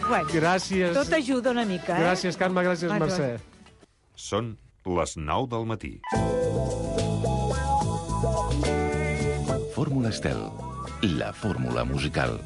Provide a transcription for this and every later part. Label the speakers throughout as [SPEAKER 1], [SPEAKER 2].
[SPEAKER 1] Bueno,
[SPEAKER 2] Gràcies.
[SPEAKER 1] tot ajuda una mica, eh?
[SPEAKER 2] Gràcies, Carme, gràcies, Mercè.
[SPEAKER 3] Són les 9 del matí.
[SPEAKER 4] Fórmula Estel, la fórmula musical.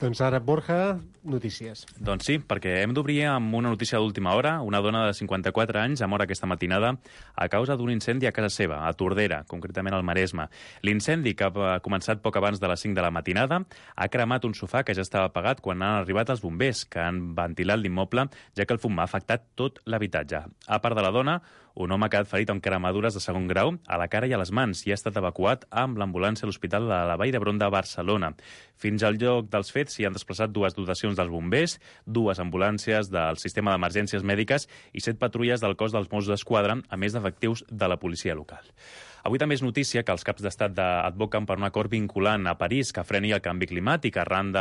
[SPEAKER 2] Doncs ara, Borja, notícies.
[SPEAKER 5] Doncs sí, perquè hem d'obrir amb una notícia d'última hora. Una dona de 54 anys ha mort aquesta matinada a causa d'un incendi a casa seva, a Tordera, concretament al Maresme. L'incendi, que ha començat poc abans de les 5 de la matinada, ha cremat un sofà que ja estava apagat quan han arribat els bombers, que han ventilat l'immoble, ja que el fum ha afectat tot l'habitatge. A part de la dona, un home ha quedat ferit amb cremadures de segon grau a la cara i a les mans i ha estat evacuat amb l'ambulància a l'Hospital de la Vall d'Hebron de Barcelona. Fins al lloc dels fets s'hi han desplaçat 2 dotacions dels bombers, 2 ambulàncies del sistema d'emergències mèdiques i 7 patrulles del cos dels Mossos d'Esquadra, a més d'efectius de la policia local. Avui també és notícia que els caps d'estat advoquen per un acord vinculant a París que freni el canvi climàtic arran de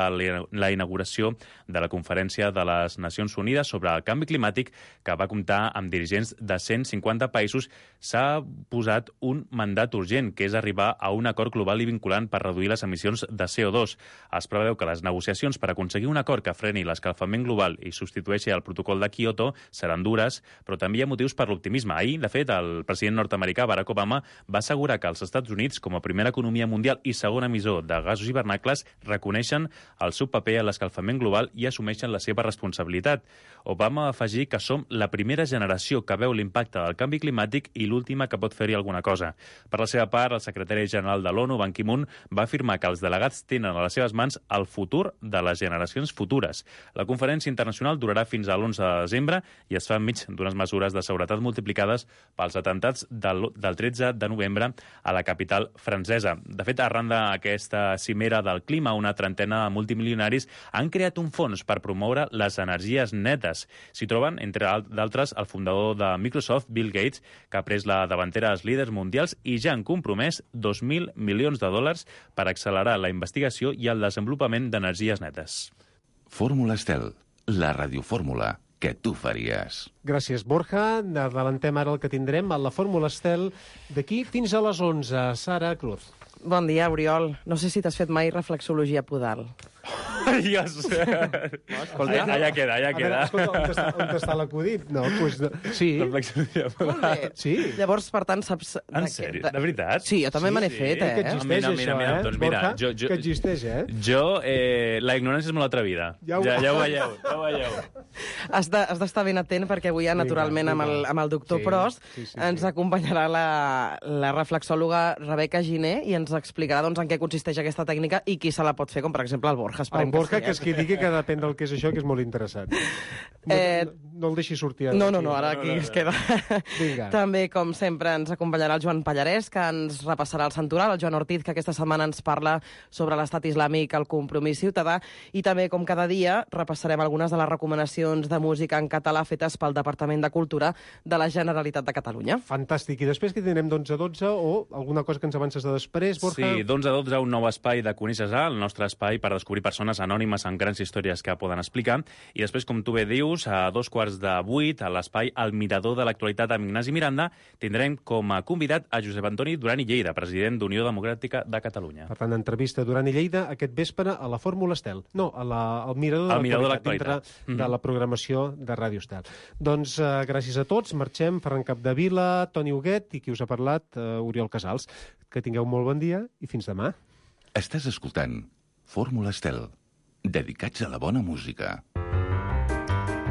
[SPEAKER 5] la inauguració de la Conferència de les Nacions Unides sobre el canvi climàtic, que va comptar amb dirigents de 150 països. S'ha posat un mandat urgent, que és arribar a un acord global i vinculant per reduir les emissions de CO2. Es preveu que les negociacions per aconseguir un acord que freni l'escalfament global i substitueixi el protocol de Kyoto seran dures, però també hi ha motius per l'optimisme. Ahir, de fet, el president nord-americà Barack Obama va assegurar que els Estats Units, com a primera economia mundial i segon emissor de gasos hivernacles, reconeixen el seu paper en l'escalfament global i assumeixen la seva responsabilitat. Obama va afegir que som la primera generació que veu l'impacte del canvi climàtic i l'última que pot fer-hi alguna cosa. Per la seva part, el secretari general de l'ONU, Ban Ki-moon, va afirmar que els delegats tenen a les seves mans el futur de les generacions futures. La conferència internacional durarà fins a l'11 de desembre i es fa enmig d'unes mesures de seguretat multiplicades pels atemptats del 13 de novembre a la capital francesa. De fet, arran d'aquesta cimera del clima, una trentena de multimilionaris han creat un fons per promoure les energies netes. S'hi troben, entre d'altres, el fundador de Microsoft, Bill Gates, que ha pres la davantera als líders mundials i ja han compromès 2.000 milions de dòlars per accelerar la investigació i el desenvolupament d'energies netes.
[SPEAKER 4] Fórmula Estel, la radiofórmula que tu faries.
[SPEAKER 2] Gràcies, Borja. Adelantem ara el que tindrem a la Fórmula Estel d'aquí fins a les 11. Sara Cruz.
[SPEAKER 6] Bon dia, Oriol. No sé si t'has fet mai reflexologia podal.
[SPEAKER 5] Dios.
[SPEAKER 6] Escolta,
[SPEAKER 5] allà queda.
[SPEAKER 2] Veure, escolta, on està l'acudit? No, doncs... Sí. Sí.
[SPEAKER 6] Llavors, per tant, saps...
[SPEAKER 5] En sèrio? De veritat?
[SPEAKER 6] Sí, jo també me n'he fet,
[SPEAKER 2] Que existeix,
[SPEAKER 5] Mira,
[SPEAKER 2] això,
[SPEAKER 5] doncs mira,
[SPEAKER 2] Borja, que existeix,
[SPEAKER 5] Jo, la ignorància és molt atrevida. Ja ho veieu.
[SPEAKER 6] Has d'estar ben atent perquè avui, naturalment, amb el doctor Prost, ens acompanyarà la reflexòloga Rebeca Giner i ens explicarà en què consisteix aquesta tècnica i qui se la pot fer, com per exemple el Borja.
[SPEAKER 2] El Borja, que és qui digui que depèn del que és això, que és molt interessant. No el deixi sortir ara.
[SPEAKER 6] No, ara aquí es queda.
[SPEAKER 2] Vinga.
[SPEAKER 6] També, com sempre, ens acompanyarà el Joan Pallarès, que ens repassarà el santoral, el Joan Ortiz, que aquesta setmana ens parla sobre l'estat islàmic, el compromís ciutadà, i també, com cada dia, repassarem algunes de les recomanacions de música en català fetes pel Departament de Cultura de la Generalitat de Catalunya.
[SPEAKER 2] Fantàstic. I després que tindrem d'11 a 12 o alguna cosa que ens avances de després, Borja?
[SPEAKER 5] Sí, d'11 a 12 un nou espai de Coneixes A, el nostre espai per descobrir persones anònimes amb grans històries que poden explicar. I després, com tu bé dius, a 7:45, a l'espai El Mirador de l'Actualitat amb Ignasi Miranda, tindrem com a convidat a Josep Antoni Duran i Lleida, president d'Unió Democràtica de Catalunya.
[SPEAKER 2] Per tant, entrevista Duran i Lleida aquest vespre a la Fórmula Estel. No, al Mirador de l'Actualitat, dintre de la programació de Ràdio Estel. Doncs gràcies a tots. Marxem. Ferran Capdevila, Toni Huguet i qui us ha parlat, Oriol Casals. Que tingueu molt bon dia i fins demà.
[SPEAKER 4] Estàs escoltant Fórmula Estel, dedicats a la bona música.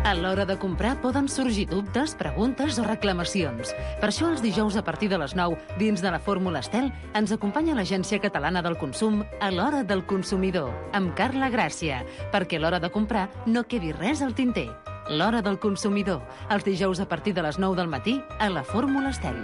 [SPEAKER 7] A l'hora de comprar poden sorgir dubtes, preguntes o reclamacions. Per això els dijous a partir de les 9, dins de la Fórmula Estel, ens acompanya l'Agència Catalana del Consum a l'Hora del Consumidor, amb Carla Gràcia, perquè a l'hora de comprar no quedi res al tinter. L'Hora del Consumidor, els dijous a partir de les 9 del matí a la Fórmula Estel.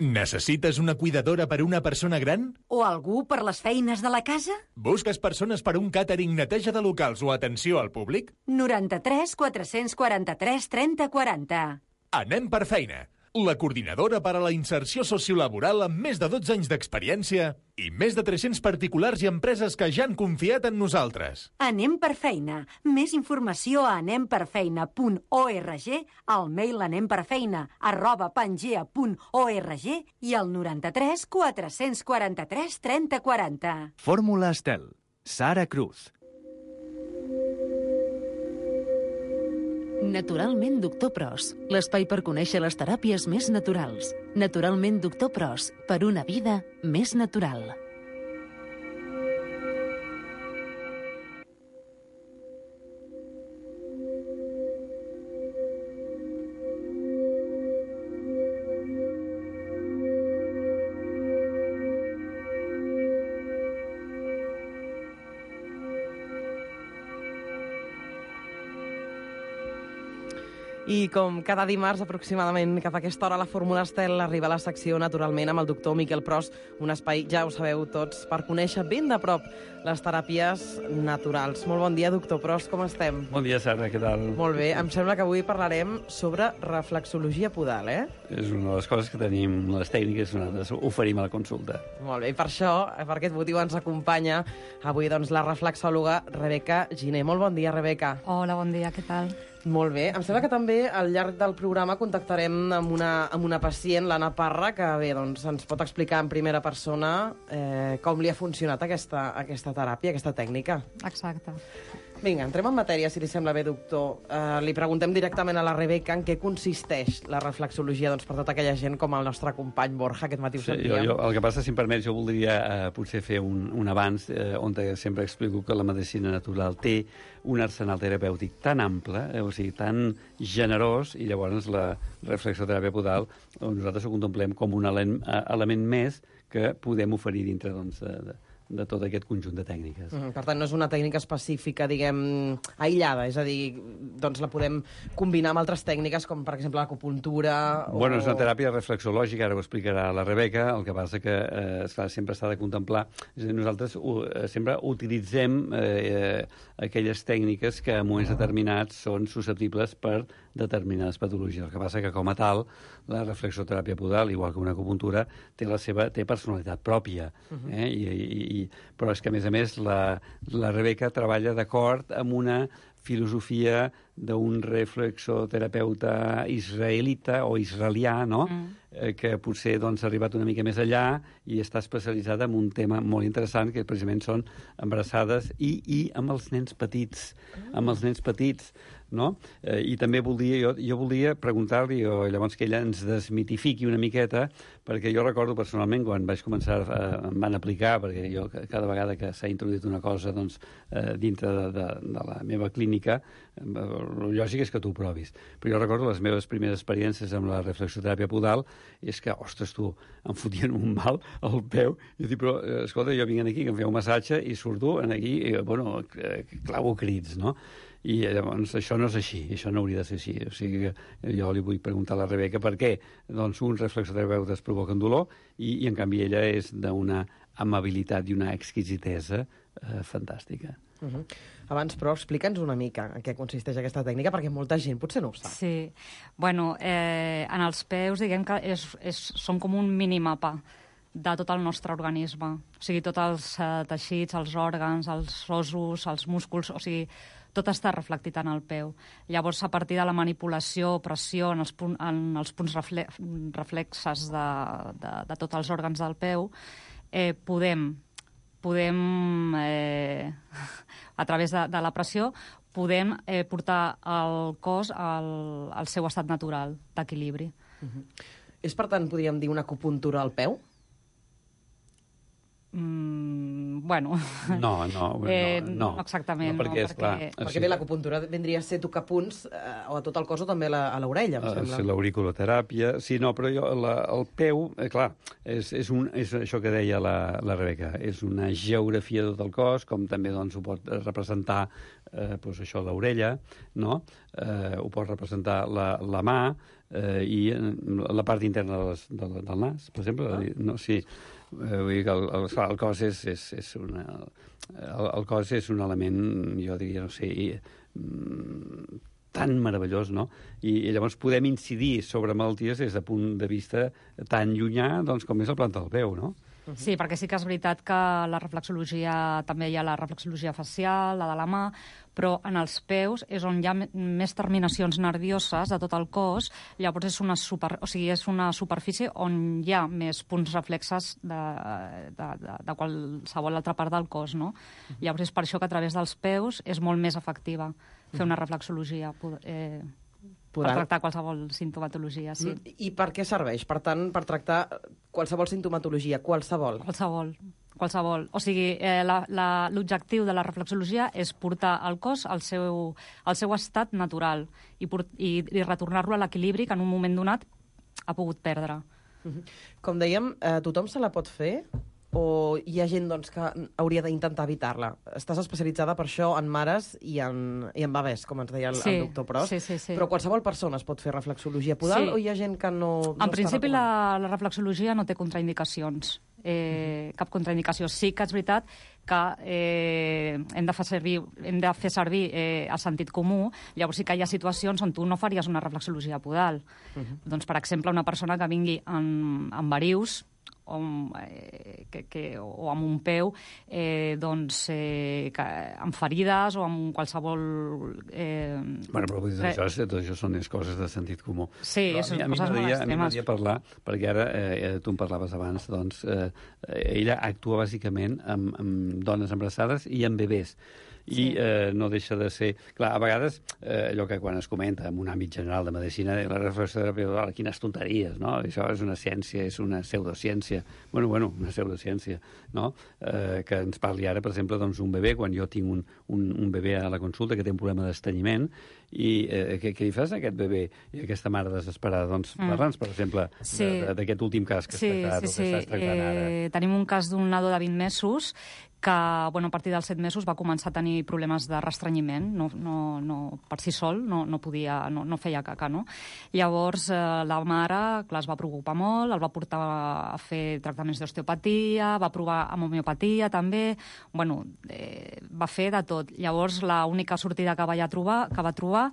[SPEAKER 8] Necessites una cuidadora per una persona gran?
[SPEAKER 1] O algú per les feines de la casa?
[SPEAKER 8] Busques persones per un càtering, neteja de locals o atenció al públic?
[SPEAKER 1] 93 443 30 40.
[SPEAKER 8] Anem per feina. La coordinadora per a la inserció sociolaboral amb més de 12 anys d'experiència i més de 300 particulars i empreses que ja han confiat en nosaltres.
[SPEAKER 1] Anem per feina. Més informació a anemperfeina.org, al mail anemperfeina@pangea.org i al 93 443 30 40.
[SPEAKER 9] Fórmula Estel, Sara Cruz.
[SPEAKER 7] Naturalment Doctor Pros, l'espai per conèixer les teràpies més naturals. Naturalment Doctor Pros, per una vida més natural.
[SPEAKER 6] I com cada dimarts, aproximadament cap a aquesta hora, la Fórmula Estel arriba a la secció Naturalment amb el doctor Miquel Pros, un espai, ja ho sabeu tots, per conèixer ben de prop les teràpies naturals. Molt bon dia, doctor Pros, com estem?
[SPEAKER 10] Bon dia, Sara, què tal?
[SPEAKER 6] Molt bé, em sembla que avui parlarem sobre reflexologia podal,
[SPEAKER 10] És una de les coses que tenim, les tècniques que nosaltres oferim a la consulta.
[SPEAKER 6] Molt bé, i per això, per aquest motiu, ens acompanya avui doncs, la reflexòloga Rebeca Giner. Molt bon dia, Rebeca.
[SPEAKER 11] Hola, bon dia, què tal?
[SPEAKER 6] Molt bé. Em sembla que també al llarg del programa contactarem amb una pacient, l'Anna Parra, que bé, doncs, ens pot explicar en primera persona com li ha funcionat aquesta teràpia, aquesta tècnica.
[SPEAKER 11] Exacte.
[SPEAKER 6] Vinga, entrem en matèria, si li sembla bé, doctor. Li preguntem directament a la Rebeca en què consisteix la reflexologia doncs, per tota aquella gent com el nostre company Borja, aquest matí ho sentíem.
[SPEAKER 10] El que passa, si em permets, jo voldria potser fer un avanç on sempre explico que la medicina natural té un arsenal terapèutic tan ample, o sigui, tan generós, i llavors la reflexoteràpia podal nosaltres ho contemplem com un element més que podem oferir dintre de tot aquest conjunt de tècniques.
[SPEAKER 6] Per tant, no és una tècnica específica, diguem, aïllada, és a dir, doncs la podem combinar amb altres tècniques, com per exemple l'acupuntura...
[SPEAKER 10] Bueno, és una teràpia reflexològica, ara ho explicarà la Rebeca, el que passa que sempre s'ha de contemplar. És a dir, nosaltres sempre utilitzem aquelles tècniques que en moments determinats són susceptibles per determinades patologies. El que passa que, com a tal, la reflexoteràpia podal, igual que una acupuntura, té personalitat pròpia. Però és que, a més, la Rebeca treballa d'acord amb una filosofia d'un reflexoterapeuta israelita o israelià, no? Que potser ha arribat una mica més allà i està especialitzada en un tema molt interessant, que precisament són embarassades i amb els nens petits. Amb els nens petits, no? I també jo volia preguntar-li, llavors que ella ens desmitifiqui una miqueta, perquè jo recordo personalment, quan vaig començar, em van aplicar, perquè jo cada vegada que s'ha introduït una cosa dintre de la meva clínica, el lògic és que tu ho provis. Però jo recordo les meves primeres experiències amb la reflexoteràpia podal, és que, ostres, tu, em fotien un mal al peu, i dic, però, escolta, jo vinc aquí, que em feu un massatge, i surto aquí, clavo crits, no? I llavors això no és així, això no hauria de ser així. O sigui que jo li vull preguntar a la Rebeca per què uns reflexoterapeutes provoquen dolor i en canvi ella és d'una amabilitat i una exquisitesa fantàstica.
[SPEAKER 6] Abans, però, explica'ns una mica en què consisteix aquesta tècnica, perquè molta gent potser no ho sap.
[SPEAKER 11] Sí. Bueno, en els peus, diguem que són com un minimapa de tot el nostre organisme. O sigui, tots els teixits, els òrgans, els ossos, els músculs, o sigui, tot està reflectit en el peu. Llavors, a partir de la manipulació, pressió en els punts reflexes de tots els òrgans del peu, podem a través de la pressió, podem portar el cos al seu estat natural d'equilibri.
[SPEAKER 6] És, per tant, podríem dir, una acupuntura al peu?
[SPEAKER 11] Bueno...
[SPEAKER 10] No,
[SPEAKER 11] exactament.
[SPEAKER 10] No,
[SPEAKER 6] perquè bé, l'acupuntura vendria a ser tocar punts o a tot el cos o també a l'orella, em sembla.
[SPEAKER 10] Sí, l'auriculoteràpia. Sí, no, però el peu, clar, és això que deia la Rebeca, és una geografia de tot el cos, com també ho pot representar això, l'orella, no? Ho pot representar la mà i la part interna del nas, per exemple. No, sí. Vull dir que el cos el cos és un element, jo diria, no sé, tan meravellós, no? I llavors podem incidir sobre malalties des de punt de vista tan llunyà com és la planta del peu, no?
[SPEAKER 11] Sí, perquè sí que és veritat que la reflexologia, també hi ha la reflexologia facial, la de la mà, però en els peus és on hi ha més terminacions nervioses de tot el cos, llavors és una superfície on hi ha més punts reflexes de qualsevol altra part del cos, no? Llavors és per això que a través dels peus és molt més efectiva fer una reflexologia per tractar qualsevol sintomatologia, sí.
[SPEAKER 6] I per què serveix? Per tant, per tractar qualsevol sintomatologia, qualsevol?
[SPEAKER 11] Qualsevol. O sigui, l'objectiu de la reflexologia és portar el cos al seu estat natural i retornar-lo a l'equilibri que en un moment donat ha pogut perdre.
[SPEAKER 6] Com dèiem, tothom se la pot fer? O hi ha gent doncs, que hauria d'intentar evitar-la? Estàs especialitzada per això en mares i en bebès, com ens deia el doctor Pros.
[SPEAKER 11] Sí.
[SPEAKER 6] Però qualsevol persona es pot fer reflexologia podal o hi ha gent que no
[SPEAKER 11] en principi la reflexologia no té contraindicacions. Cap contraindicació. Sí que és veritat que hem de fer servir el sentit comú. Llavors sí que hi ha situacions on tu no faries una reflexologia podal. Doncs, per exemple, una persona que vingui amb varius o amb un peu amb ferides o amb qualsevol...
[SPEAKER 10] Bueno, però vull dir, tot això són les coses de sentit comú.
[SPEAKER 11] Sí, són coses molt extremes. A mi
[SPEAKER 10] m'agradaria parlar, perquè ara tu em parlaves abans, doncs ella actua bàsicament amb dones embarassades i amb bebès. I no deixa de ser... Clar, a vegades, allò que quan es comenta en un àmbit general de medicina, la reflexoteràpia, quines tonteries, no? Això és una ciència, és una pseudociència. Bueno, una pseudociència, no? Que ens parli ara, per exemple, doncs, un bebè, quan jo tinc un bebè a la consulta que té un problema d'estanyiment, i què li fas a aquest bebè i aquesta mare desesperada? Doncs parla'ns, per exemple, d'aquest últim cas que estàs tractant ara.
[SPEAKER 11] Tenim un cas d'un nadó de 20 mesos que a partir dels 7 mesos va començar a tenir problemes de restrenyiment, no per si sol, no podia, no feia caca, no? Llavors la mare, clar, es va preocupar molt, el va portar a fer tractaments d'osteopatia, va provar amb homeopatia també, va fer de tot. Llavors l'única sortida que va trobar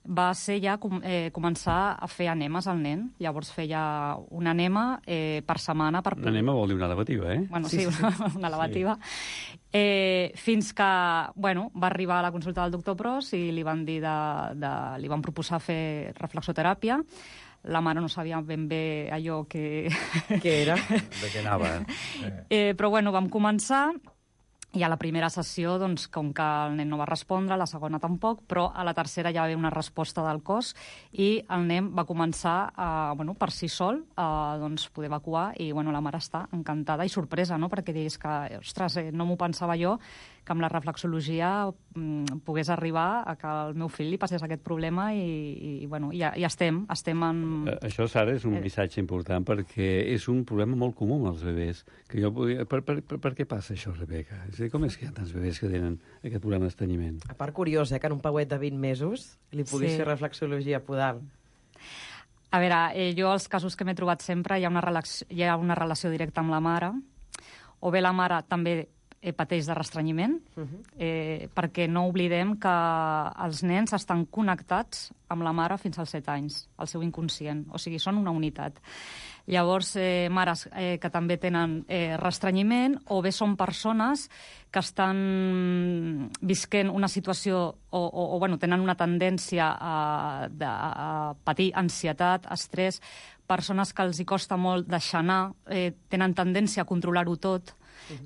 [SPEAKER 11] va ser ja començar a fer enemes al nen. Llavors feia un enema per setmana.
[SPEAKER 10] Un enema vol dir una lavativa, eh?
[SPEAKER 11] Bueno, sí, una lavativa. Fins que, va arribar a la consulta del doctor Pros i li van dir li van proposar fer reflexoteràpia. La mare no sabia ben bé allò que...
[SPEAKER 6] Què era?
[SPEAKER 10] De què anava.
[SPEAKER 11] Però vam començar. I a la primera sessió, doncs, com que el nen no va respondre, a la segona tampoc, però a la tercera ja va haver una resposta del cos i el nen va començar, per si sol, a poder evacuar i la mare està encantada i sorpresa, no?, perquè digués que, ostres, no m'ho pensava jo, que amb la reflexologia pogués arribar a que al meu fill li passés aquest problema i estem en...
[SPEAKER 10] Això, Sara, és un missatge important perquè és un problema molt comú amb els bebès. Que jo per què passa això, Rebeca? Com és que hi ha tants bebès que tenen aquest problema d'estanyiment?
[SPEAKER 6] A part, curiós, que en un pauet de 20 mesos li puguis fer reflexologia podal.
[SPEAKER 11] A veure, jo els casos que m'he trobat sempre hi ha una relació directa amb la mare, o bé la mare també pateix de restrenyiment, perquè no oblidem que els nens estan connectats amb la mare fins als 7 anys, al seu inconscient, o sigui, són una unitat. Llavors, mares que també tenen restrenyiment, o bé són persones que estan visquent una situació o tenen una tendència a patir ansietat, estrès, persones que els hi costa molt deixar anar, tenen tendència a controlar-ho tot.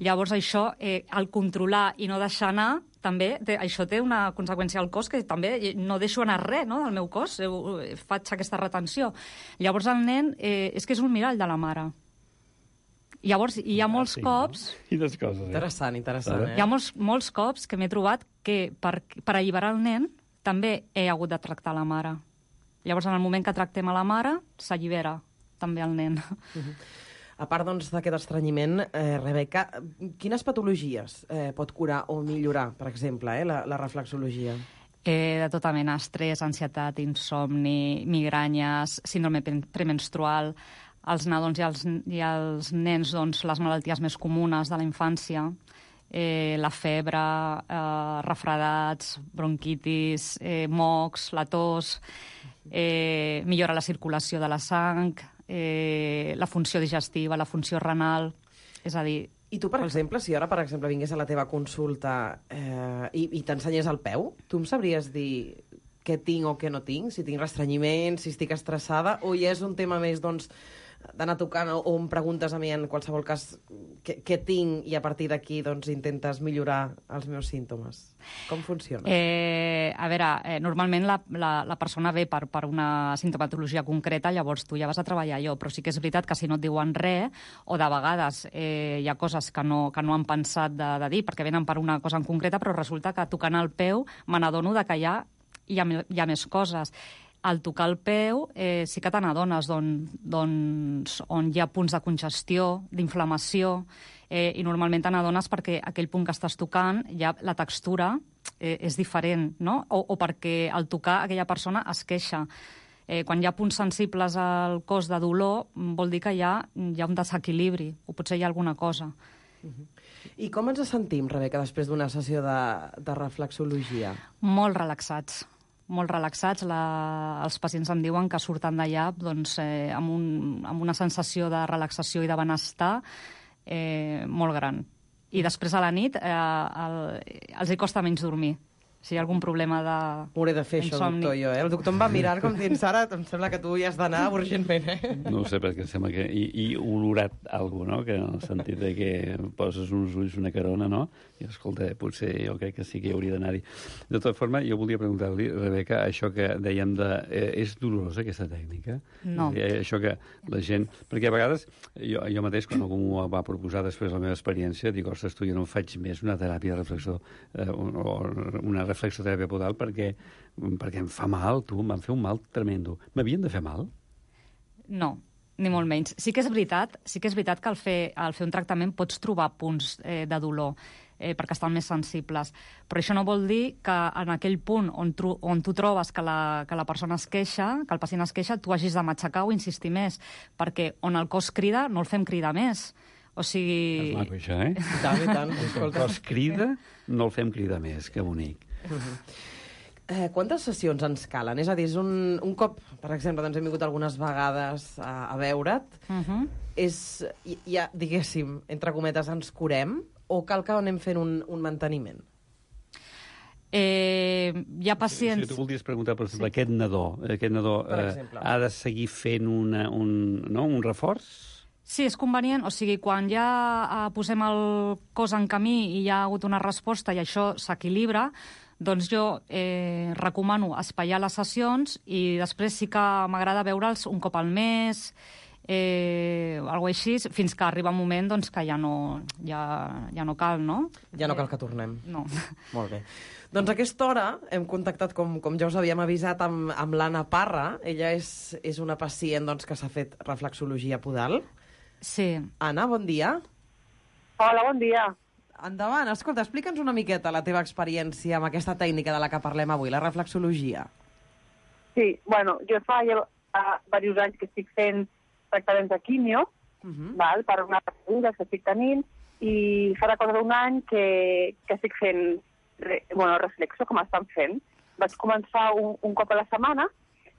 [SPEAKER 11] Llavors això, el controlar i no deixar anar, també això té una conseqüència al cos, que també no deixo anar res, no?, del meu cos, faig aquesta retenció. Llavors el nen és que és un mirall de la mare. Llavors hi ha molts cops...
[SPEAKER 10] Quines coses,
[SPEAKER 6] Interessant.
[SPEAKER 11] Hi ha molts cops que m'he trobat que per alliberar el nen també he hagut de tractar la mare. Llavors en el moment que tractem a la mare s'allibera també el nen.
[SPEAKER 6] A part d'aquest estrenyiment, Rebeca, quines patologies pot curar o millorar, per exemple, la reflexologia?
[SPEAKER 11] De tota mena, estrès, ansietat, insomni, migranyes, síndrome premenstrual, als nadons i als nens, les malalties més comunes de la infància, la febre, refredats, bronquitis, mocs, la tos, millora la circulació de la sang, la funció digestiva, la funció renal... És a dir...
[SPEAKER 6] I tu, per exemple, si ara, per exemple, vingués a la teva consulta i t'ensenyés el peu, tu em sabries dir què tinc o què no tinc? Si tinc restrenyiment, si estic estressada, o ja és un tema més, doncs, d'anar tocant, o em preguntes a mi en qualsevol cas què tinc i a partir d'aquí doncs, intentes millorar els meus símptomes. Com funciona?
[SPEAKER 11] A veure, normalment la persona ve per una sintomatologia concreta, llavors tu ja vas a treballar allò, però sí que és veritat que si no et diuen res, o de vegades hi ha coses que no han pensat de dir, perquè venen per una cosa en concreta, però resulta que tocant el peu me n'adono que hi ha més coses. Al tocar el peu sí que te n'adones doncs, on hi ha punts de congestió, d'inflamació, i normalment te n'adones perquè aquell punt que estàs tocant, ja la textura és diferent, no? O perquè al tocar aquella persona es queixa. Quan hi ha punts sensibles al cos de dolor, vol dir que hi ha un desequilibri, o potser hi ha alguna cosa.
[SPEAKER 6] I com ens sentim, Rebeca, després d'una sessió de reflexologia?
[SPEAKER 11] Molt relaxats. Molt relaxats. Els pacients em diuen que surten d'allà doncs, amb una sensació de relaxació i de benestar molt gran. I després a la nit els hi costa menys dormir. Si hi ha algun problema de...
[SPEAKER 6] M'hauré de fer això, doctor, jo. El doctor em va mirant com dient, Sara, em sembla que tu hi has d'anar urgentment,
[SPEAKER 10] No ho sé, perquè em sembla que... I olorat alguna cosa, no? Que en el sentit de que poses uns ulls, una carona, no? I, escolta, potser jo crec que sí que hi hauria d'anar-hi. De tota forma, jo volia preguntar-li, Rebeca, això que dèiem de... És dolorosa, aquesta tècnica?
[SPEAKER 11] No.
[SPEAKER 10] Això que la gent... Perquè a vegades, jo mateix, quan algú m'ho va proposar després de la meva experiència, dic, ostres, tu, jo no faig més una teràpia de reflexió o una reflexoteràpia podal perquè em fa mal, tu, em van fer un mal tremendo. M'havien de fer mal?
[SPEAKER 11] No, ni molt menys. Sí que és veritat que al fer un tractament pots trobar punts de dolor perquè estan més sensibles. Però això no vol dir que en aquell punt on tu trobes que la persona es queixa, que el pacient es queixa, tu hagis de matxacar o insistir més, perquè on el cos crida no el fem cridar més. O sigui...
[SPEAKER 10] És maco, això, eh?
[SPEAKER 6] I tant, i tant.
[SPEAKER 10] El cos crida, no el fem cridar més, que bonic.
[SPEAKER 6] Quantes sessions ens calen? És a dir, és un cop, per exemple, doncs hem vingut algunes vegades a veure't, ja, diguéssim, entre cometes, ens curem, o cal que anem fent un manteniment?
[SPEAKER 11] Hi ha pacients...
[SPEAKER 10] Si tu volries preguntar, per exemple, aquest nadó ha de seguir fent un reforç?
[SPEAKER 11] Sí, és convenient. O sigui, quan ja posem el cos en camí i hi ha hagut una resposta i això s'equilibra, doncs jo recomano espaiar les sessions i després sí que m'agrada veure'ls un cop al mes, alguna així, fins que arriba un moment doncs, que ja no cal, no?
[SPEAKER 6] Ja no cal que tornem.
[SPEAKER 11] No.
[SPEAKER 6] Molt bé. Doncs a aquesta hora hem contactat, com ja us havíem avisat, amb l'Anna Parra. Ella és una pacient doncs, que s'ha fet reflexologia podal.
[SPEAKER 11] Sí.
[SPEAKER 6] Anna, bon dia.
[SPEAKER 9] Hola, bon dia.
[SPEAKER 6] Endavant. Escolta, explica'ns una miqueta la teva experiència amb aquesta tècnica de la que parlem avui, la reflexologia.
[SPEAKER 9] Sí, bueno, jo fa diversos anys que estic fent tractaments de quimio, val, per una patologia que estic tenint, i farà cosa d'un any que estic fent reflexo, com estan fent. Vaig començar un cop a la setmana,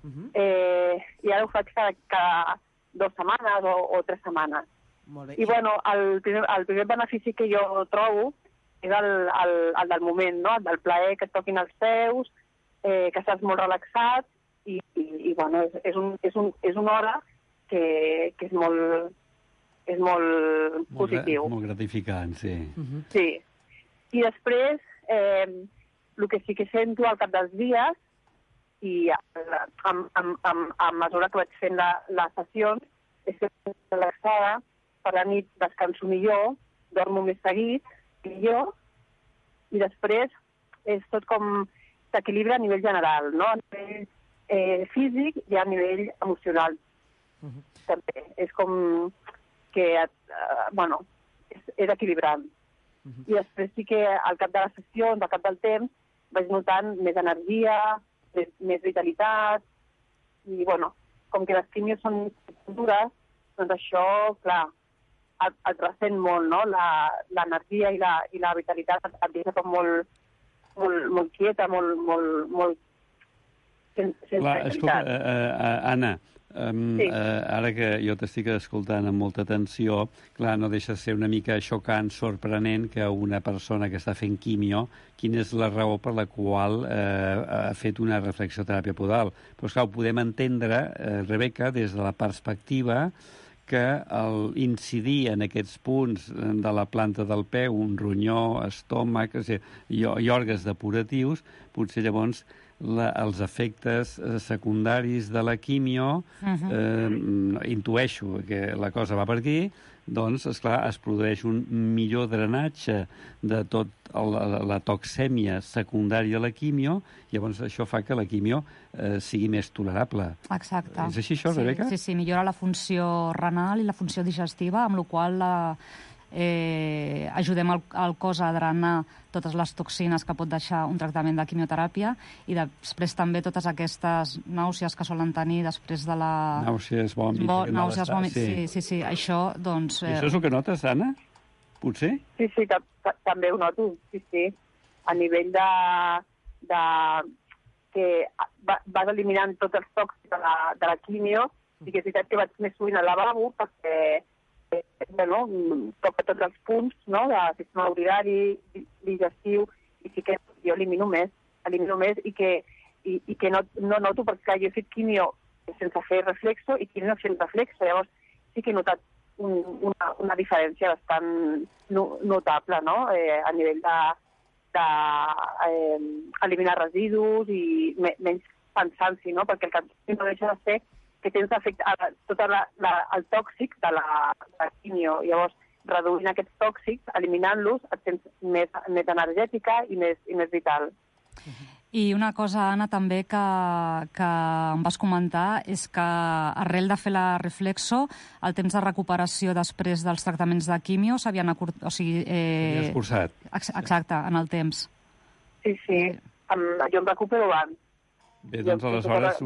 [SPEAKER 9] i ara ho faig cada 2 setmanes o 3 setmanes.
[SPEAKER 6] Molt bé.
[SPEAKER 9] I bueno, el primer benefici que jo trobo és el del moment, no? El del plaer, que et toquin els peus, que estàs molt relaxat, i bueno, és una hora que és molt positiu.
[SPEAKER 10] Molt gratificant, sí.
[SPEAKER 9] Sí. I després, el que sí que sento al cap dels dies, i a mesura que vaig fent les sessions, és que estic relaxada, per la nit descanso millor, dormo més seguit, millor, i després és tot com s'equilibra a nivell general, no? A nivell físic i a nivell emocional. També. És com que, és equilibrant. I després sí que al cap de les sessions, al cap del temps, vaig notant més energia, més vitalitat, i bueno, com que les quimios són dures, doncs això, clar, et ressent molt, no? L'energia i la vitalitat et deixa com molt quieta, molt sense
[SPEAKER 10] clar, escolta, Anna, Ara que jo t'estic escoltant amb molta atenció, clar, no deixa de ser una mica xocant, sorprenent que una persona que està fent quimio, quina és la raó per la qual ha fet una reflexoteràpia podal. Però, esclar, ho podem entendre, Rebeca, des de la perspectiva que incidir en aquests punts de la planta del peu, un ronyó, estómac, i òrgans depuratius, potser llavors els efectes secundaris de la quimio, intueixo que la cosa va per aquí, doncs, esclar, es produeix un millor drenatge de tot la toxèmia secundària a la quimio, i llavors això fa que la quimio sigui més tolerable.
[SPEAKER 11] Exacte.
[SPEAKER 10] És així això, Rebeca?
[SPEAKER 11] Sí, millora la funció renal i la funció digestiva, amb la qual ajudem el cos a drenar totes les toxines que pot deixar un tractament de quimioteràpia, i després també totes aquestes nàusees que solen tenir després de la...
[SPEAKER 10] Nàusees, vòmits...
[SPEAKER 11] Nàusees, vòmits, sí. Això, doncs...
[SPEAKER 10] I això és el que notes, Anna? Potser?
[SPEAKER 9] Sí, també ho noto, sí. A nivell de que vas eliminant tots els tòxics de la quimio, i que és veritat que vaig més sovint al lavabo perquè toca tots els punts, no?, del sistema urinari, digestiu, i sí que jo elimino més i que no noto, perquè clar, jo he fet quimio sense fer reflexo i quimio fent reflexo, llavors sí que he notat una diferència bastant notable, no?, a nivell de eliminar residus i menys pensant-s'hi, no?, perquè el que no deixa de ser que tens efecte tot el tòxic de la quimio. Llavors, reduint aquests tòxics, eliminant-los, et sents més energètica i més vital.
[SPEAKER 11] I una cosa, Anna, també que em vas comentar és que arrel de fer la reflexo, el temps de recuperació després dels tractaments de quimio s'havien
[SPEAKER 10] s'havia escurçat.
[SPEAKER 11] Exacte, en el temps.
[SPEAKER 9] Sí, jo em recupero abans.
[SPEAKER 10] Bé, doncs aleshores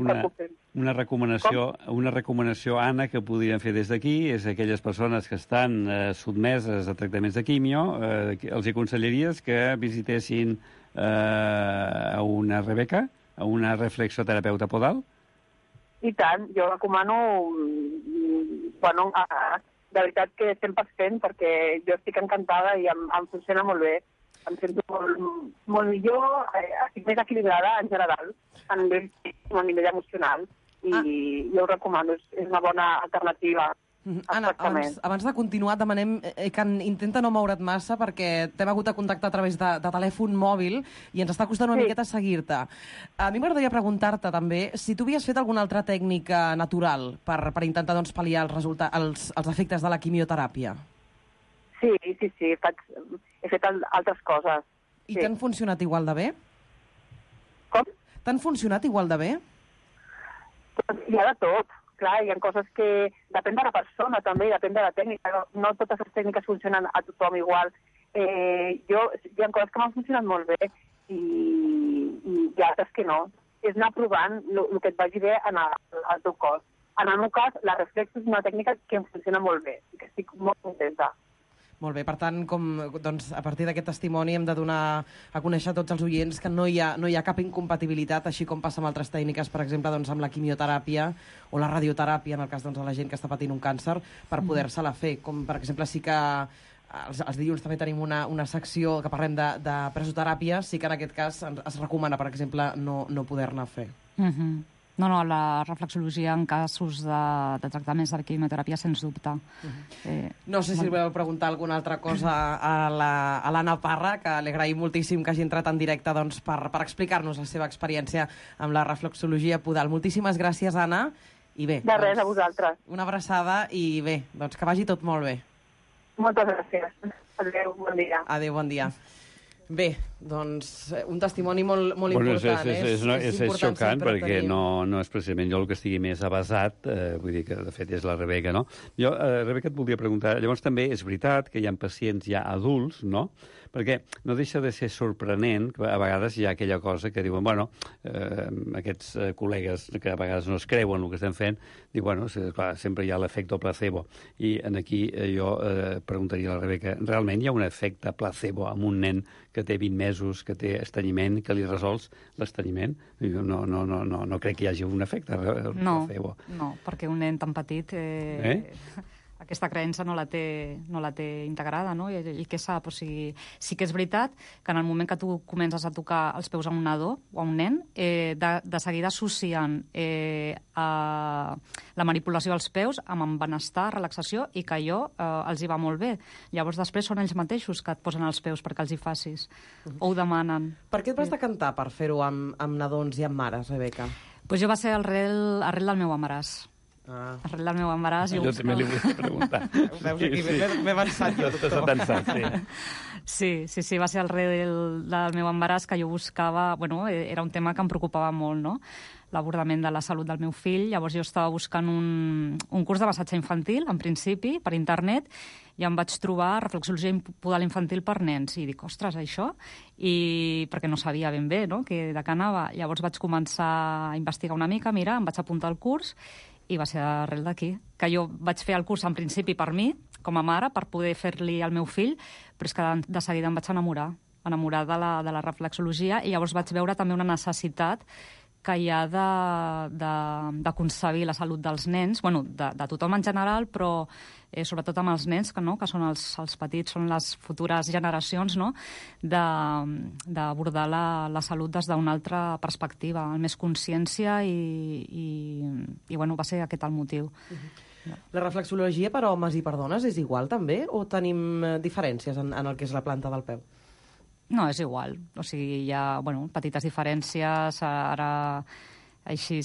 [SPEAKER 10] una recomanació, Anna, que podríem fer des d'aquí és aquelles persones que estan sotmeses a tractaments de quimio, els aconsellaries que visitessin a una Rebeca, a una reflexoterapeuta podal?
[SPEAKER 9] I tant, jo recomano, de veritat que 100%, perquè jo estic encantada i em funciona molt bé. Em sento molt millor, estic més equilibrada en general, a nivell emocional, i jo ho recomano, és una bona alternativa.
[SPEAKER 6] Anna, abans de continuar, demanem que intenta no moure't massa perquè t'hem hagut de contactar a través de telèfon mòbil i ens està costant una miqueta seguir-te. A mi m'agradaria preguntar-te també si tu havies fet alguna altra tècnica natural per intentar pal·liar els efectes de la quimioteràpia.
[SPEAKER 9] Sí, he fet altres coses.
[SPEAKER 6] I t'han funcionat igual de bé?
[SPEAKER 9] Com?
[SPEAKER 6] T'han funcionat igual de bé?
[SPEAKER 9] Hi ha de tot. Clar, hi ha coses que depèn de la persona també, depèn de la tècnica. No totes les tècniques funcionen a tothom igual. Hi ha coses que m'han funcionat molt bé i hi ha altres que no. És anar provant el que et vagi bé al teu cos. En el meu cas, la reflexo és una tècnica que em funciona molt bé i que estic molt contenta.
[SPEAKER 6] Molt bé, per tant, a partir d'aquest testimoni hem de donar a conèixer a tots els oients que no hi ha cap incompatibilitat, així com passa amb altres tècniques, per exemple, amb la quimioteràpia o la radioteràpia, en el cas de la gent que està patint un càncer, per poder-se-la fer. Com, per exemple, sí que els dilluns també tenim una secció que parlem de presoteràpia, sí que en aquest cas es recomana, per exemple, no poder-ne fer.
[SPEAKER 11] No, la reflexologia en casos de tractaments de quimioteràpia, sens dubte.
[SPEAKER 6] No sé si voleu preguntar alguna altra cosa a l'Anna Parra, que li agraïm moltíssim que hagi entrat en directe per explicar-nos la seva experiència amb la reflexologia podal. Moltíssimes gràcies, Anna. I bé,
[SPEAKER 9] de res, a vosaltres.
[SPEAKER 6] Una abraçada i bé, doncs que vagi tot molt bé.
[SPEAKER 9] Moltes gràcies. Adéu, bon dia.
[SPEAKER 6] Adéu, bon dia. Bé, doncs un testimoni molt important.
[SPEAKER 10] És xocant perquè no és precisament jo el que estigui més avasat, vull dir que de fet és la Rebeca, no? Jo, Rebeca, et voldria preguntar, llavors també és veritat que hi ha pacients ja adults, no? Perquè no deixa de ser sorprenent que a vegades hi ha aquella cosa que diuen, aquests col·legues que a vegades no es creuen el que estem fent, diuen, clar, sempre hi ha l'efecte placebo. I aquí jo preguntaria a la Rebeca, realment hi ha un efecte placebo amb un nen que té 20 mesos mesos que té estrenyiment, que li resols l'estrenyiment. No crec que hi hagi un efecte.
[SPEAKER 11] No, perquè un nen tan petit... Aquesta creença no la té integrada, no? I què sap? O sigui, sí que és veritat que en el moment que tu comences a tocar els peus a un nadó o a un nen, de seguida associen la manipulació dels peus amb benestar, relaxació, i que allò els hi va molt bé. Llavors després són ells mateixos que et posen els peus perquè els hi facis, o ho demanen.
[SPEAKER 6] Per què et vas decantar per fer-ho amb nadons i amb mares, Rebeca?
[SPEAKER 11] Pues jo va ser arrel del meu embaràs. Arrel del meu embaràs...
[SPEAKER 10] Jo també li volia preguntar.
[SPEAKER 6] Veus aquí, m'he avançat jo, doctor.
[SPEAKER 11] Sí, va ser arrel del meu embaràs que jo buscava... Bueno, era un tema que em preocupava molt, no?, l'abordament de la salut del meu fill. Llavors jo estava buscant un curs de massatge infantil, en principi, per internet, i em vaig trobar reflexologia podal infantil per nens. I dic, ostres, això? I perquè no sabia ben bé, no?, de què anava. Llavors vaig començar a investigar una mica, mira, em vaig apuntar al curs, i va ser arrel d'aquí. Que jo vaig fer el curs, en principi, per mi, com a mare, per poder fer-li al meu fill, però és que de seguida em vaig enamorar de la reflexologia, i llavors vaig veure també una necessitat que hi ha de concebir la salut dels nens, bueno, de tothom en general, però sobretot amb els nens, que són els petits, són les futures generacions, no?, d'abordar la salut des d'una altra perspectiva, amb més consciència, i bueno, va ser aquest el motiu.
[SPEAKER 6] La reflexologia per homes i per dones és igual, també? O tenim diferències en el que és la planta del peu?
[SPEAKER 11] No, és igual. O sigui, hi ha petites diferències, ara així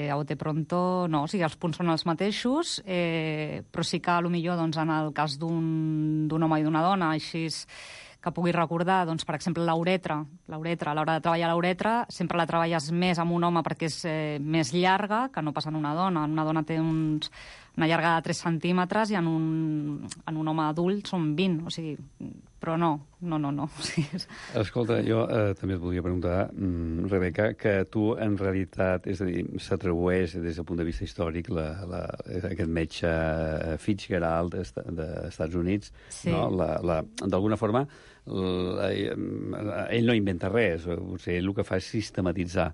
[SPEAKER 11] a bote pronto, no, o sigui, els punts són els mateixos, però sí que potser doncs, en el cas d'un home i d'una dona, així que pugui recordar, doncs, per exemple, l'uretra, a l'hora de treballar l'uretra, sempre la treballes més amb un home perquè és més llarga que no pas en una dona. Una dona té una llarga de 3 centímetres i en un home adult són 20, o sigui, però no. O sigui,
[SPEAKER 10] Escolta, jo també et volia preguntar, Rebeca, que tu en realitat, és a dir, s'atribueix des del punt de vista històric aquest metge Fitzgerald dels Estats Units,
[SPEAKER 11] sí,
[SPEAKER 10] no? D'alguna forma, ell no inventa res, potser ell el que fa és sistematitzar,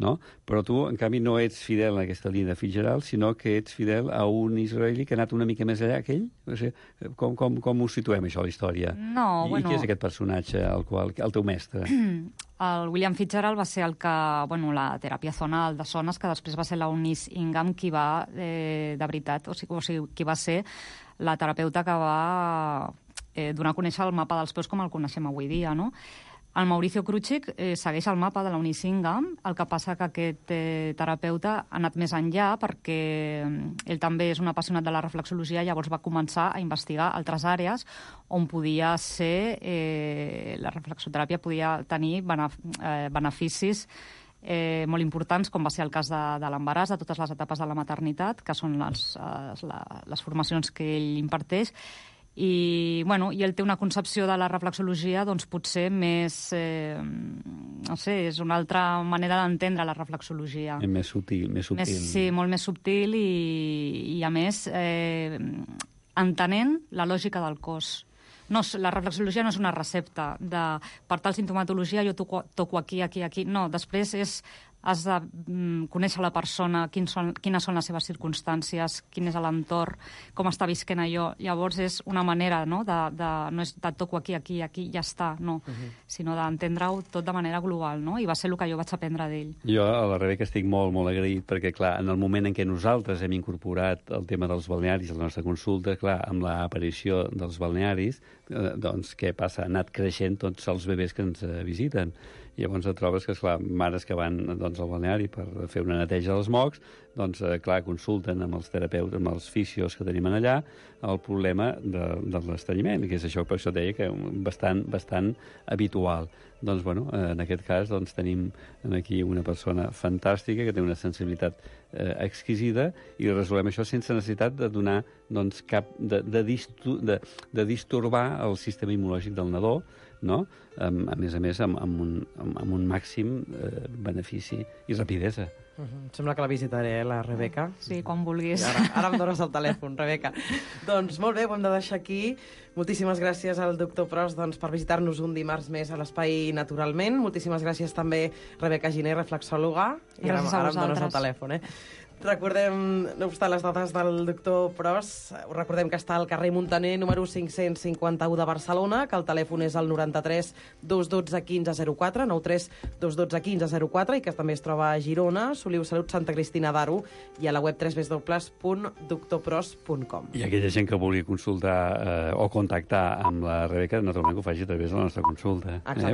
[SPEAKER 10] no? Però tu, en canvi, no ets fidel a aquesta línia de Fitzgerald, sinó que ets fidel a un israelí que ha anat una mica més allà que ell? O sigui, com ho situem, això, a la història?
[SPEAKER 11] No,
[SPEAKER 10] I qui és aquest personatge, el teu mestre?
[SPEAKER 11] El William Fitzgerald va ser la teràpia zonal de zones, que després va ser la Eunice Ingham qui va, de veritat, o sigui, qui va ser la terapeuta que va donar a conèixer el mapa dels peus com el coneixem avui dia, no? El Mauricio Crucic segueix el mapa de la Eunice Ingham, el que passa que aquest terapeuta ha anat més enllà perquè ell també és un apassionat de la reflexologia, llavors va començar a investigar altres àrees on podia ser, la reflexoteràpia podia tenir beneficis molt importants, com va ser el cas de l'embaràs, de totes les etapes de la maternitat, que són les formacions que ell imparteix. I ell té una concepció de la reflexologia doncs potser més, no sé, és una altra manera d'entendre la reflexologia.
[SPEAKER 10] Més sutil.
[SPEAKER 11] Sí, molt més subtil i a més, entenent la lògica del cos. No, la reflexologia no és una recepta de per tal sintomatologia jo toco aquí. No, després has de conèixer la persona, quines són les seves circumstàncies, quin és l'entorn, com està visquent allò. Llavors és una manera, no és de toco aquí, ja està, no, sinó d'entendre-ho tot de manera global, no? I va ser el que jo vaig aprendre d'ell.
[SPEAKER 10] Jo a la Rebeca estic molt, molt agraït, perquè, clar, en el moment en què nosaltres hem incorporat el tema dels balnearis a la nostra consulta, clar, amb l'aparició dels balnearis, doncs, què passa? Han anat creixent tots els bebès que ens visiten. I llavors et trobes que, esclar, mares que van al balneari per fer una neteja dels mocs, doncs, clar, consulten amb els terapeutes, amb els fisios que tenim allà, el problema de l'estrenyiment, que és això, per això deia que bastant habitual. Doncs, bueno, en aquest cas, doncs, tenim aquí una persona fantàstica que té una sensibilitat exquisida i resolem això sense necessitat de donar, doncs, de distorbar el sistema immunològic del nadó, no? A més, amb un màxim benefici i rapidesa.
[SPEAKER 6] Sembla que la visitaré, la Rebeca.
[SPEAKER 11] Sí, quan vulguis.
[SPEAKER 6] Ara em dones el telèfon, Rebeca. Doncs molt bé, ho hem de deixar aquí. Moltíssimes gràcies al doctor Pros per visitar-nos un dimarts més a l'Espai Naturalment. Moltíssimes gràcies també Rebeca Giner, reflexòloga. I ara em dones el telèfon, Recordem, no obstant les dades del doctor Pros, recordem que està al carrer Muntaner, número 551 de Barcelona, que el telèfon és el 93 212 1504, 93 212 1504, i que també es troba a Girona, Soliu Salut, Santa Cristina d'Aro, i a la web www.doctorpros.com.
[SPEAKER 10] I aquella gent que vulgui consultar o contactar amb la Rebeca, naturalment que ho faci a través de la nostra consulta.